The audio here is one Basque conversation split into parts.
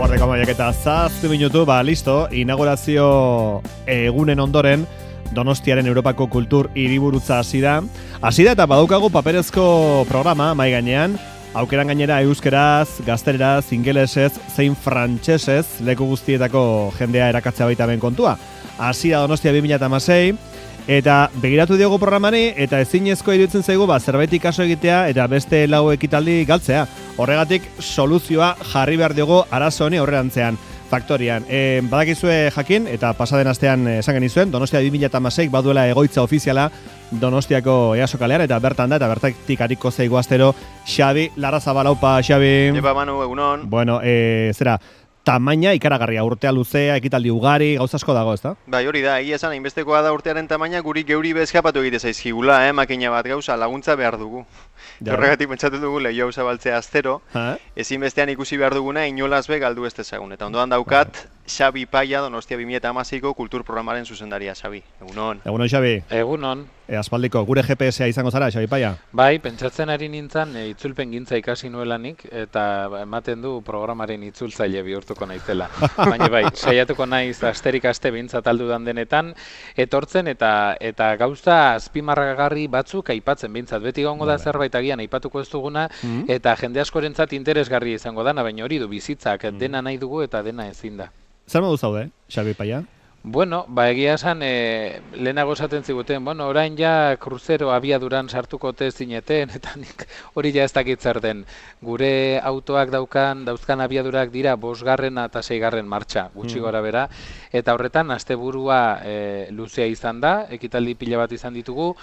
Ordeko amaiak eta 7 minutu, listo, inaugurazio egunen ondoren Donostiaren Europako Kultur Hiriburutza hasi da eta badaukagu paperezko programa mai gainean, aukeran gainera euskeraz, gaztereraz, ingelesez, zein frantsesez leku guztietako jendea erakatzea baita ben kontua. Hasi da Donostia 2016, eta begiratu diogu programari, eta ezinezko iruditzen zaigu zerbait ikaso egitea eta beste lau ekitaldi galtzea. Horregatik soluzioa jarri behar diogu arazo honi aurrerantzean. Faktorian. Badakizue jakin, eta pasaden astean esan genizuen, Donostia 2016 baduela egoitza ofiziala Donostiako EASO kalean, eta bertan da, eta bertatik ariko zaigu astero Xabi Larrazabal. Aupa, Xabi. Epa, Manu, egunon. Bueno, tamaina ikaragarria, urtea luzea, ekitaldi ugari, gauza asko dago, ezta? Bai, hori da, egia esan, hainbestekoa da urtearen tamaina, geuri bezkapatu egite zaizkigula, makina bat gauza, laguntza behar dugu. Horregatik pentsatu dugu lehio zabaltzea astero, ezinbestean ikusi behar duguna inolaz be galdu ez dezagun. Eta ondoan daukat, Xabi Paia, Donostia 2016ko kultur programaren zuzendaria, Xabi. Egunon. Egunon, Xabi. Egunon. Aspaldiko, gure GPS-a izango zara, Xabi Paia? Bai, pentsatzen ari nintzen itzulpen gintza ikasi nuelanik, eta ematen du programaren itzultzaile bihurtuko naizela. Baina bai, saiatuko naiz asterik aste behintzat aldudan denetan, etortzen eta gauza azpimarragarri batzuk aipatzen behintzat. Beti gongo da zerbait agian aipatuko ez duguna, eta jende askorentzat interesgarri izango dana, baina hori du bizitzak, dena nahi dugu eta dena ezin da. Zer modu zaude, Xabi Paia? Bueno, egia esan, lehenago esaten ziguten, orain ja kruzero abiaduran sartuko te zineten, eta nik hori ja ez dakit zer den. Gure autoak dauzkan abiadurak dira 5. eta 6. martxa, gutxi gora bera, eta horretan asteburua luzea izan da, ekitaldi pila bat izan ditugu,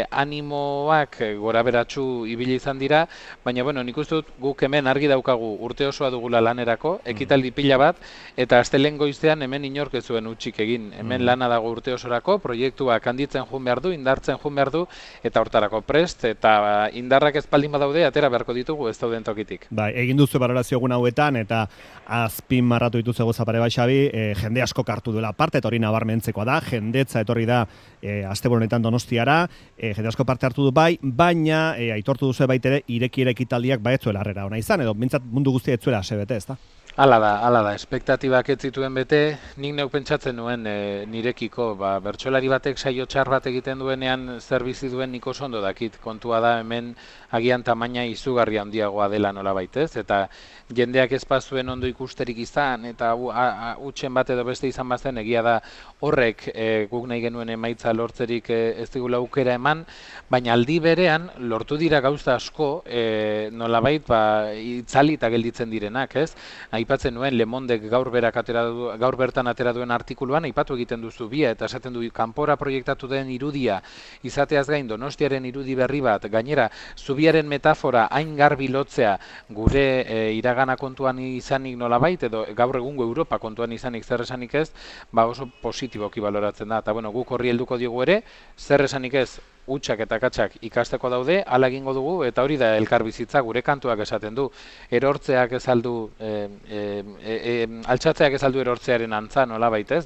animoak gora beratxu ibili izan dira, baina nik uste dut guk hemen argi daukagu urte osoa dugula lanerako, ekitaldi pila bat, eta astelehen goizean hemen inork ez zuen utxik egin. Hemen lana dago urte osorako, proiektuak handitzen joan behar du, indartzen joan behar du, eta hortarako prest, eta indarrak ez baldin badaude, atera beharko ditugu ez dauden tokitik. Bai, egin duzu balorazio egun hauetan, eta azpimarratu dituzu gozapare bai, Xabi, jende asko hartu duela parte, eta hori nabarmentzekoa da, jendetza etorri da asteburu honetan Donostiara, jende asko parte hartu du bai, baina aitortu duzu baitere ireki ekitaldiak baetzuela harrera ona izan, edo bintzat mundu guztia etzuela sebete, ezta? Hala da, espektatibak ez zituen bete, nik neuk pentsatzen nuen nirekiko, bertsolari batek saio txar bat egiten duenean zer bizi duen nik oso ondo dakit, kontua da hemen agian tamaina izugarri handiagoa dela nola baitez, eta jendeak ez bazuen ondo ikusterik izan, eta utxen bat edo beste izan bazen, egia da horrek guk nahi genuen emaitza lortzerik ez digula aukera eman, baina aldi berean lortu dira gauza asko nolabait itzali eta gelditzen direnak, ez? Aipatzen nuen Le Mondek gaur bertan atera duen artikuluan aipatu egiten duzu bia, eta esaten du kanpora proiektatu den irudia izateaz gain Donostiaren irudi berri bat, gainera zubiaren metafora hain garbi lotzea gure iragana kontuan izanik nolabait, edo gaur egungo Europa kontuan izanik zer esanik ez, oso positiboki baloratzen da, eta guk horri helduko diogu ere, zer esanik ez, utxak eta katxak ikasteko daude, hala egingo dugu, eta hori da elkarbizitza gure kantuak esaten du. Erortzeak ez aldu, altxatzeak ez aldu erortzearen antza nola baitez,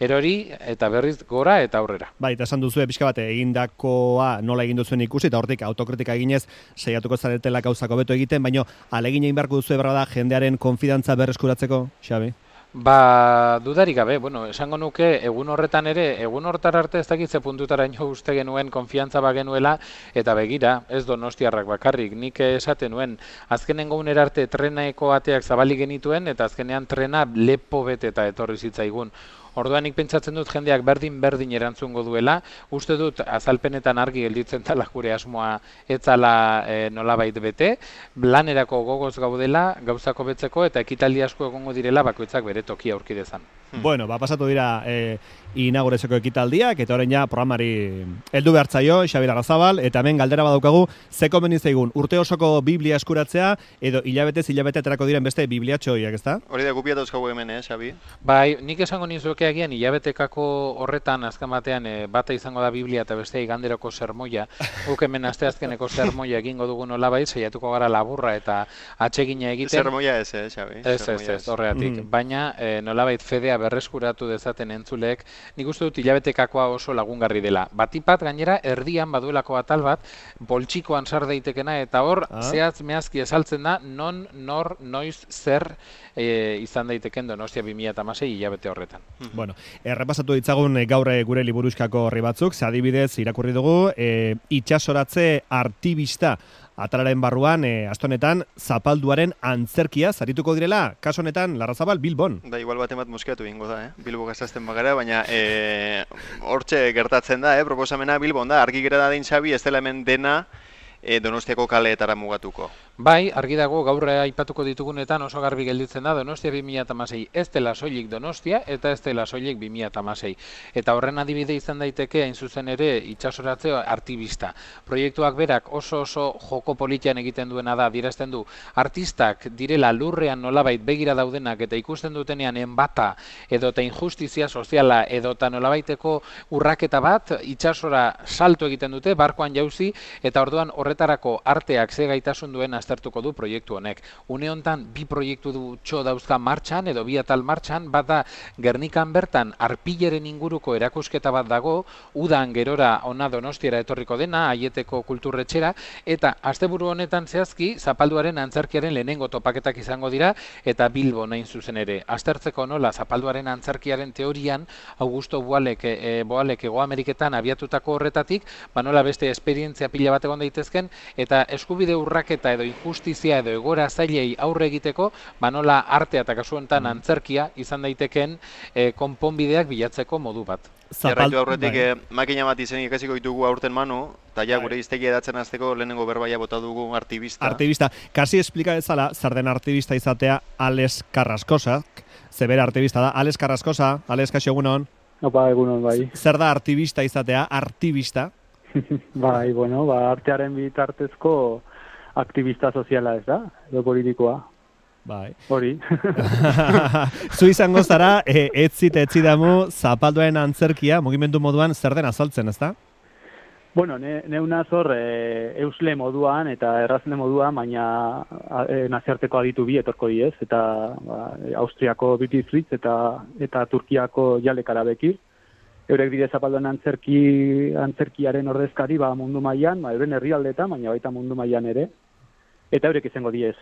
erori eta berriz gora eta aurrera. Bai, eta esan duzu pixka bat egindakoa nola egin duzuen ikusi, eta hortik autokritika eginez saiatuko zaretela gauzako beto egiten, baina alegin egin beharko duzu da jendearen konfidantza berreskuratzeko, Xabi? Dudarik gabe, esango nuke egun horretan ere, egun hortar arte ez dakitze puntutara ino uste genuen konfiantza bagenuela, eta begira, ez Donostiarrak bakarrik, nik esaten nuen, azkenengo unera arte trenaeko ateak zabalik genituen, eta azkenean trena lepo bete eta etorri zitzaigun. Orduan nik pentsatzen dut jendeak berdin erantzungo duela, uste dut azalpenetan argi gelditzen dela gure asmoa etzala nolabait bete, lanerako gogoz gaudela, gauzako betzeko eta ekitaldi asko egongo direla bakoitzak bere tokia aurki dezan. Bueno, pasatu dira inaugurazioko ekitaldiak, eta orain ja programari heldu behartzaio, Xabi Larrazabal, eta hemen galdera badaukagu, ze komeni zaigun, urte osoko Biblia eskuratzea, edo hilabete aterako diren beste bibliatxoiak, ezta? Hori da, gupia dauzkagu hemen, Xabi? Bai, nik esango nizuke agian hilabetekako horretan azken batean bata izango da Biblia eta bestea iganderoko sermoia. Guk hemen asteazkeneko sermoia egingo dugu nolabait, saiatuko gara laburra eta atsegina egiten. Sermoia ez, Xabi? Ez, horregatik. Baina nolabait fedea berreskuratu dezaten entzuleek, nik uste dut hilabetekakoa oso lagungarri dela. Batipat gainera erdian baduelako atal bat, poltsikoan sar daitekena eta hor zehatz mehazki esaltzen da non, nor, noiz, zer izan daiteken Donostia 2016 hilabete horretan. Bueno, errepasatu ditzagun gaur gure liburuskako horri batzuk, ze adibidez irakurri dugu, itxasoratze artibista atalaren barruan, astonetan, zapalduaren antzerkia zarituko direla, kaso honetan, Larrazabal, Bilbon. Da, igual bat moskeatu ingo da, Bilbo gazazten bagara, baina hortxe gertatzen da, proposamena Bilbon da, argi gera da Xabi, ez dela hemen dena Donostiako kaleetara mugatuko. Bai, argi dago gaur aipatuko ditugunetan oso garbi gelditzen da Donostia 2016 ez dela soilik Donostia eta ez dela soilik 2016. Eta horren adibide izan daiteke hain zuzen ere itxasoratze artibista. Proiektuak berak oso joko politian egiten duena da, adierazten du artistak direla lurrean nolabait begira daudenak eta ikusten dutenean enbata edota injustizia soziala edota nolabaiteko urraketa bat itxasora salto egiten dute, barkoan jauzi eta orduan horretarako arteak ze gaitasun duen aztertuko du proiektu honek. Une hontan bi proiektu dutxo dauzka martxan edo bi atal martxan, bat da Gernikan bertan arpileren inguruko erakusketa bat dago, udan gerora ona Donostiara etorriko dena, Aieteko kulturretxera, eta asteburu honetan zehazki zapalduaren antzerkiaren lehenengo topaketak izango dira eta Bilbo nahin zuzen ere. Aztertzeko nola zapalduaren antzerkiaren teorian Augusto Boalek Hego Ameriketan abiatutako horretatik, nola beste esperientzia pila bat egon daitezken eta eskubide urraketa edo injustizia edo egora zailei aurre egiteko, nola artea eta kasu honetan antzerkia izan daiteken konponbideak bilatzeko modu bat. Jarraitu aurretik makina bat izen ikasiko ditugu aurten Manu, eta ja gure iztegia edatzen azteko lehenengo berbaia bota dugu artibista. Artibista. Kasi esplika ezala, zer den artibista izatea Ales Carrascosa, zebera artibista da. Ales Carrascosa, Ales, kaixo egunon? Opa, egunon, bai. Zer da artibista izatea, artibista? Bai, bueno, artearen bitartezko aktivista soziala ez da, edo politikoa. Bai. Hori. Zu izango zara, etzidamu zapalduaren antzerkia, mugimendu moduan zer den azaltzen, ez da? Bueno, neunaz hor eusle moduan eta errazne moduan, baina naziarteko aditu bi etorko diez, eta Austriako Beauty Fritz eta Turkiako Jalek Arabekir. Eurek dire zapalduan antzerkiaren ordezkari mundu mailan, euren herrialdeetan, baina baita mundu mailan ere. Eta eurek izango diez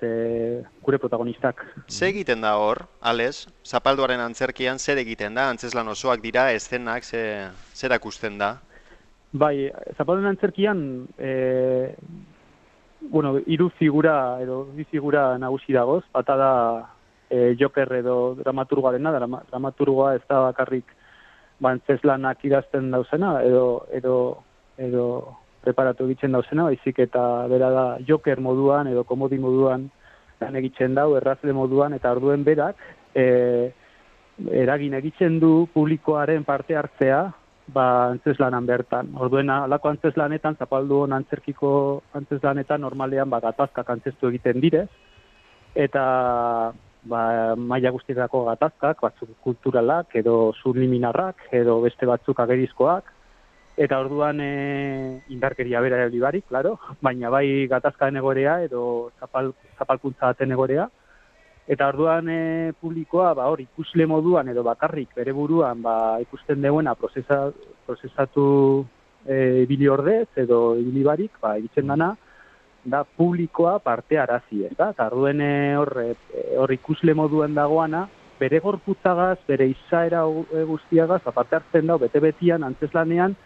gure protagonistak. Ze egiten da hor, Ales, zapalduaren antzerkian zer egiten da? Antzeslan osoak dira, eszenak, zer akusten da? Bai, zapalduaren antzerkian, hiru figura edo bi figura nagusi dagoz. Bata da Joker edo dramaturgoarena, dramaturgoa ez da bakarrik antzeslanak idazten dauzena edo preparatu egiten dauzena, baizik eta bera da Joker moduan edo komodi moduan lan egiten dau, errazle moduan, eta orduen berak eragin egiten du publikoaren parte hartzea antzeslanan bertan. Orduen alako antzeslanetan, zapalduon antzerkiko antzeslanetan normalean gatazkak antzestu egiten direz, eta maila guztietako gatazkak, batzuk kulturalak edo subliminarrak edo beste batzuk agerizkoak, eta orduan indarkeria bera barik, claro, baina bai gatazkaen egorea edo zapalkuntza baten egorea. Eta orduan publikoa hor ikusle moduan edo bakarrik bere buruan ikusten deuena prozesatu ibili ordez edo ibili barik, egiten dana, da publikoa parte arazi, eta orduen hor ikusle moduan dagoana, bere gorputzagaz, bere izaera guztiagaz, parte hartzen dau, bete-betian, antzeslanean,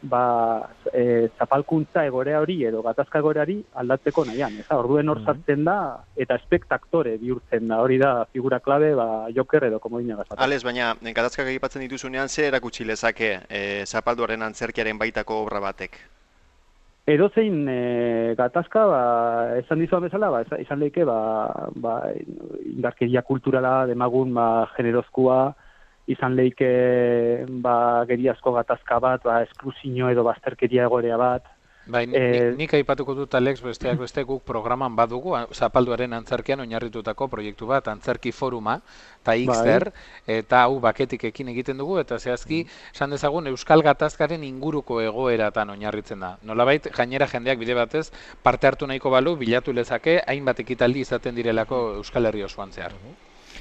zapalkuntza egorea hori edo gatazka egoreari aldatzeko nahian. Orduen hor sartzen da eta espektaktore bihurtzen da. Hori da figura klabe Joker edo komodina gazatzen. Ales, baina gatazkak egipatzen dituzunean zer erakutsi lezake zapalduaren antzerkiaren baitako obra batek? Edozein gatazka, esan dizuan bezala, izan lehike indarkeria kulturala, demagun generozkoa, izan lehike geriazko gatazka bat, esklusio edo bazterkeria egorea bat, Bai, nik aipatuko dut, Alex, besteak beste guk programan badugu, Zapalduaren antzerkian oinarritutako proiektu bat, antzerki foruma, eta Xter, eta hau baketik ekin egiten dugu, eta zehazki, esan dezagun, Euskal Gatazkaren inguruko egoeratan oinarritzen da. Nolabait, gainera jendeak bide batez, parte hartu nahiko balu, bilatu lezake, hainbat ekitaldi izaten direlako Euskal Herri osoan zehar.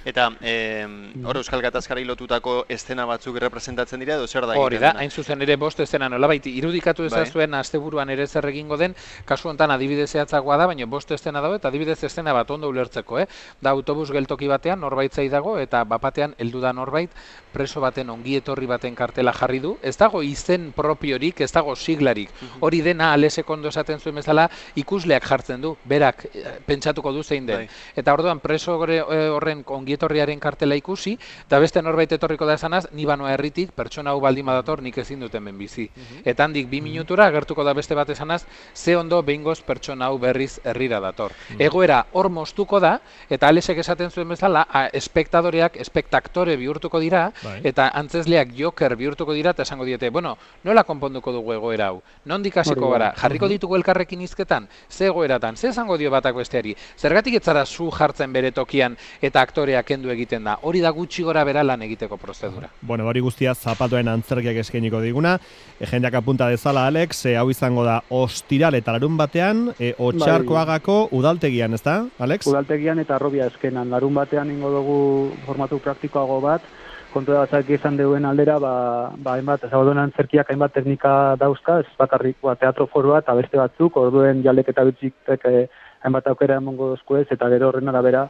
Eta hor Euskal Gatazkari lotutako estena batzuk representatzen dira edo zer da? Hori da, hain zuzen ere bost estena nolabait irudikatu ezazuen asteburuan ere zer egingo den, kasu honetan adibide zehatzagoa da, baina bost estena dago eta adibidez estena bat ondo ulertzeko, da autobus geltoki batean norbait zai dago eta bapatean heldu da norbait preso baten ongietorri baten kartela jarri du, ez dago izen propiorik, ez dago siglarik, hori dena Alesek ondo esaten zuen bezala ikusleak jartzen du, berak pentsatuko du zein den, eta orduan preso horren ongietorriaren kartela ikusi, eta beste norbait etorriko da esanaz, ni banoa herritik, pertsona hau baldin badator nik ezin dut hemen bizi. Eta handik 2 minutura agertuko da beste bat esanaz, ze ondo behingoz pertsona hau berriz herrira dator. Egoera hor moztuko da, eta Alesek esaten zuen bezala, espektadoreak espektaktore bihurtuko dira, eta antzezleak joker bihurtuko dira, eta esango diete, bueno, nola konponduko dugu egoera hau? Nondik hasiko gara? Jarriko ditugu elkarrekin hizketan? Ze egoeratan? Ze esango dio batak besteari? Zergatik ez zara zu jartzen bere tokian eta aktorea kendu egiten da. Hori da gutxi gora bera lan egiteko prozedura. Bueno, hori guztia Zapalduen antzerkiak eskainiko diguna. Jendeak apunta dezala, Alex, hau izango da ostiral eta larun batean, Otxarkoagako udaltegian, ez da, Alex? Udaltegian eta Arrobia eskenan. Larun batean ingo dugu formatu praktikoago bat, kontu da batzak izan deuen aldera, hainbat, Zapalduen antzerkiak hainbat teknika dauzka, ez bakarrik teatro forua eta beste batzuk, orduen jaldek eta bitzik hainbat aukera emongo dozko ez, eta gero horren arabera,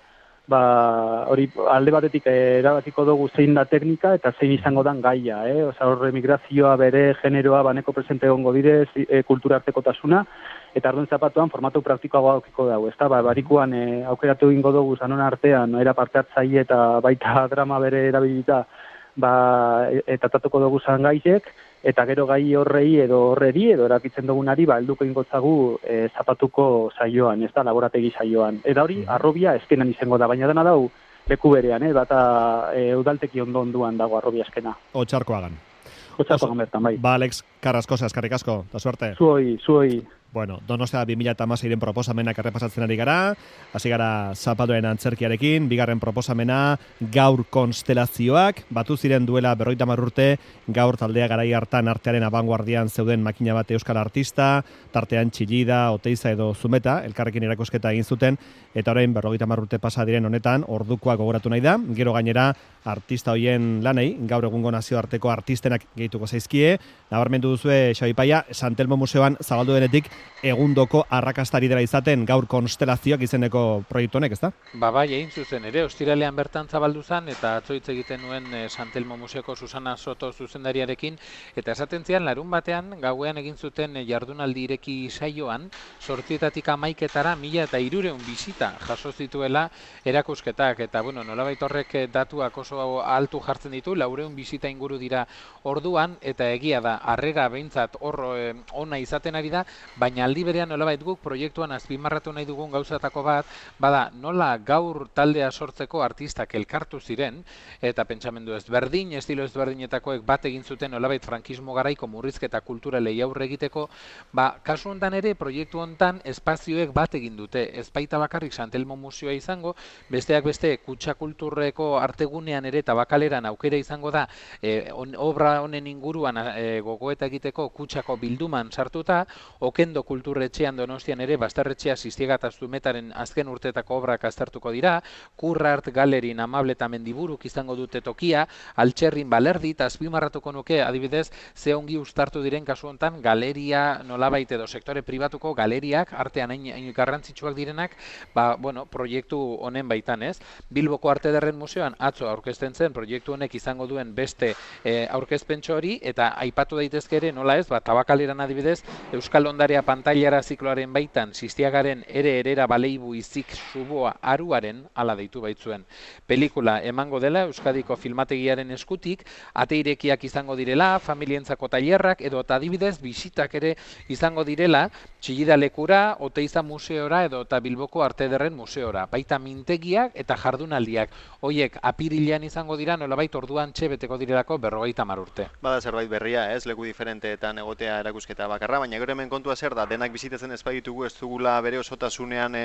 hori alde batetik erabatiko dugu zein da teknika eta zein izango dan gaia, horre migrazioa bere generoa baneko presente egongo direz, kultura artekotasuna, eta arduen zapatuan formatu praktikoagoa aukiko dago, ez da, barikuan aukeratu egingo dugu zanon artean, era parte hartzaile eta baita drama bere erabilita, eta tatuko dugu zan gaiek, eta gero gai horrei edo horreri edo erakitzen dugunari helduko ingotzagu zapatuko saioan, ez da, laborategi saioan. Eta hori, Arrobia eskenan izango da, baina dena dau leku berean, bata udalteki onduan dago Arrobia eskena. Otxarkoagan. Otxarkoagan bertan, bai. Alex, Carrascosa, eskerrik asko, da suerte. Zuoi. Bueno, Donostia 2016 proposamenak errepasatzen ari gara, hasi gara Zapalduen antzerkiarekin, bigarren proposamena gaur konstelazioak, batu ziren duela 50 urte, gaur taldea garai hartan artearen abanguardian zeuden makina bat euskal artista, tartean Txillida, Oteiza edo Zumeta, elkarrekin erakusketa egin zuten, eta orain 50 urte pasa diren honetan, ordukoa gogoratu nahi da, gero gainera artista hoien lanei, gaur egungo nazioarteko artistenak gehituko zaizkie, nabarmendu duzue Xabi Paia, Santelmo Museoan zabaldu denetik, egundoko arrakastari dela izaten gaur konstelazioak izeneko proiektu honek, ezta? Bai, egin zuzen ere, ostiralean bertan zabaldu zen, eta atzoitz egiten nuen Santelmo Museoko Susana Soto zuzendariarekin, eta esaten zian, larun batean, gauean egin zuten jardunaldi ireki saioan, 8-etatik 11-etara 1.300 bisita jaso zituela erakusketak, eta bueno, nolabait horrek datuak oso altu jartzen ditu, 400 bisita inguru dira orduan, eta egia da, harrera behintzat ona izaten ari da, baina aldi berean nolabait guk proiektuan azpimarratu nahi dugun gauzatako bat, bada nola gaur taldea sortzeko artistak elkartu ziren, eta pentsamendu ezberdin, estilo ezberdinetakoek bat egin zuten nolabait frankismo garaiko murrizketa kulturalei aurre egiteko, kasu hontan ere proiektu hontan espazioek bat egin dute, ez baita bakarrik Santelmo Museoa izango, besteak beste kutxa kulturreko artegunean ere eta bakaleran aukera izango da, obra honen inguruan gogoeta egiteko kutxako bilduman sartuta, Okendo kulturretxean Donostian ere Bastarretxea Sistiega eta Zumetaren azken urtetako obrak aztertuko dira, Kurrart Galerin Amable eta Mendiburuk izango dute tokia, Altxerrin Balerdi eta azpimarratuko nuke adibidez ze ongi uztartu diren kasu hontan galeria nolabait edo sektore pribatuko galeriak artean hain garrantzitsuak direnak, proiektu honen baitan, ez? Bilboko Arte Ederren Museoan atzo aurkezten zen proiektu honek izango duen beste aurkezpentxo hori eta aipatu daitezke ere nola ez, Tabakaleran adibidez Euskal Ondarea pantailara zikloaren baitan Sistiagaren erera baleibu izik suboa aruaren ala deitu baitzuen. Pelikula emango dela Euskadiko filmategiaren eskutik, ate irekiak izango direla, familientzako tailerrak edo adibidez bisitak ere izango direla Txillida lekura, Oteiza museora edo eta Bilboko Arte Ederren museora. Baita mintegiak eta jardunaldiak. Hoiek apirilean izango dira nolabait orduan beteko direlako 50 urte. Bada zerbait berria, ez? Leku diferenteetan egotea erakusketa bakarra, baina gero hemen kontua zer zer da, denak bizitatzen ez baditugu ez dugula bere osotasunean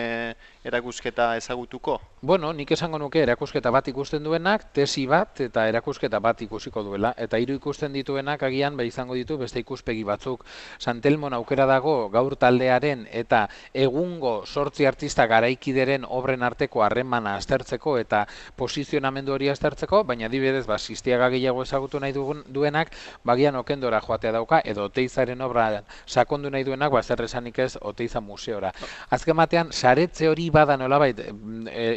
erakusketa ezagutuko? Bueno, nik esango nuke erakusketa bat ikusten duenak, tesi bat eta erakusketa bat ikusiko duela. Eta 3 ikusten dituenak agian izango ditu beste ikuspegi batzuk. Santelmon aukera dago gaur taldearen eta egungo 8 artista garaikideren obren arteko harremana aztertzeko eta posizionamendu hori aztertzeko, baina adibidez, Sistiaga gehiago ezagutu nahi duenak, bagian Okendora joatea dauka, edo Oteizaren obra sakondu nahi duenak, zer esanik ez Oteiza museora. Azken batean, saretze hori bada nolabait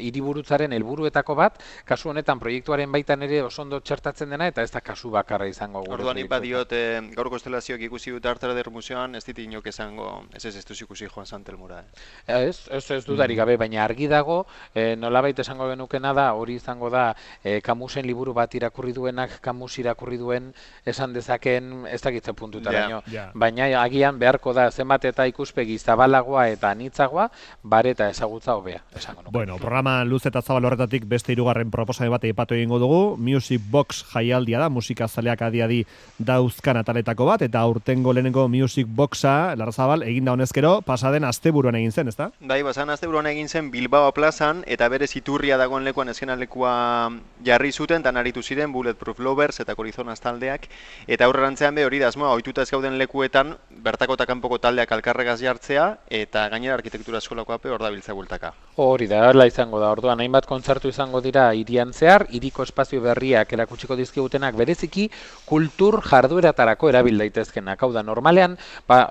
hiriburutzaren helburuetako bat, kasu honetan proiektuaren baitan ere oso ondo txertatzen dena, eta ez da kasu bakarra izango gure. Orduan ipa diot, gaur konstelazioak ikusi dut Arte Eder Museoan, ez dit inok esango, ez duz ikusi Joan Santelmura. Ez dudarik gabe, baina argi dago, nolabait esango genukena da, hori izango da, Camusen liburu bat irakurri duenak, Camus irakurri duen, esan dezaken, ez dakitze puntutaraino. Baina agian beharko da, zenbat eta ikuspegi zabalagoa eta anitzagoa, bare eta ezagutza hobea, esango nuke. Bueno, programa luz eta zabal horretatik beste 3. proposamen bat aipatu egingo dugu, Music Box jaialdia da, musikazaleak adi dauzkan ataletako bat, eta aurtengo lehenengo Music Boxa, Larrazabal, eginda honezkero, pasaden asteburuan egin zen, ezta? Bai, pasaden asteburuan egin zen Bilbao plazan, eta berez iturria dagoen lekuan eskenalekua jarri zuten, eta naritu ziren Bulletproof Lovers eta Corizonas taldeak, eta aurrerantzean hori da asmoa, ohituta ez gauden lekuetan, bertako eta kanpoko taldeak alkarregaz jartzea, eta gainera arkitektura eskolako ape hor dabiltza bueltaka. Hori da, horla izango da, orduan, hainbat kontzertu izango dira hirian zehar, hiriko espazio berriak erakutsiko dizkigutenak bereziki, kultur jardueratarako erabil daitezkenak. Hau da, normalean,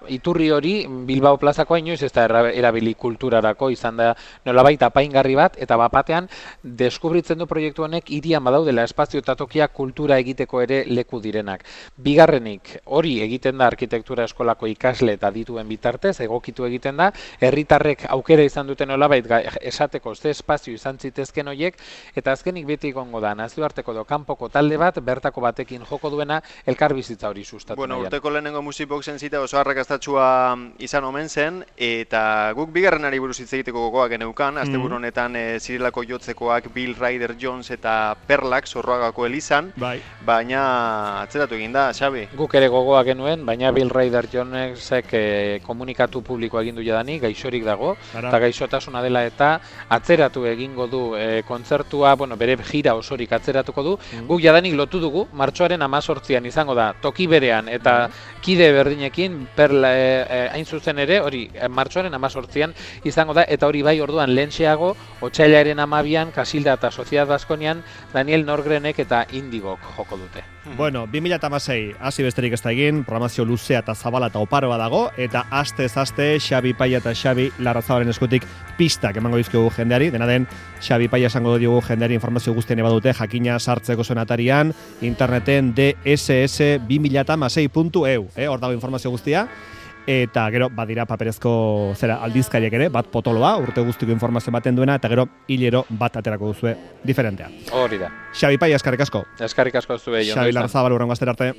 iturri hori Bilbao plazakoa inoiz ez da erabili kulturarako, izan da nolabait apaingarri bat, eta bapatean deskubritzen du proiektu honek hirian badaudela espazio eta tokiak kultura egiteko ere leku direnak. Bigarrenik, hori egiten da arkitektura eskolako ikasle eta dituen bitartez, egokitu egiten da, herritarrek aukera izan duten nolabait esateko ze espazio izan zitezken horiek, eta azkenik beti egongo da, nazioarteko do kanpoko talde bat, bertako batekin joko duena, elkarbizitza hori sustatu. Bueno, urteko lehenengo Music Boxen zita oso arrakastatsua izan omen zen, eta guk bigarrenari buruz hitz egiteko gogoak geneukan, asteburu honetan Zirelako Jotzekoak, Bill Ryder Jones eta Perlak Zorroagako elizan, baina atzeratu egin da, Xabi. Guk ere gogoak genuen, baina Bill Ryder Jonesek komunikatu publiko egindu jadanik, gaixorik dago, eta gaixotasuna dela eta atzeratu egingo du kontzertua, bere gira osorik atzeratuko du. Guk jadanik lotu dugu, martxoaren 18an izango da, toki berean, eta kide berdinekin, hain zuzen ere, hori, martxoaren 18an izango da, eta hori bai orduan lehentxeago, otsailaren 12an, Kasilda eta Sociedad Baskonian, Daniel Norgrenek eta Indigok joko dute. Bueno, 2016, hasi besterik ez da egin, programazio luzea eta zabala eta oparoa dago, eta astez aste Xabi Paia eta Xabi Larrazabalen eskutik pistak emango dizkiogu jendeari, dena den Xabi Paia esango diogu jendeari informazio guztien badute, jakina sartzeko zuen atarian, interneten dss2016.eu, hor dago informazio guztia, eta gero badira paperezko aldizkariak ere, bat potoloa, urte guztiko informazio baten duena, eta gero hilero bat aterako duzue diferentea. Hori da. Xabi Paia, eskarrik asko. Eskarrik asko zuen. Xabi Larrazabal, urrengo astera arte.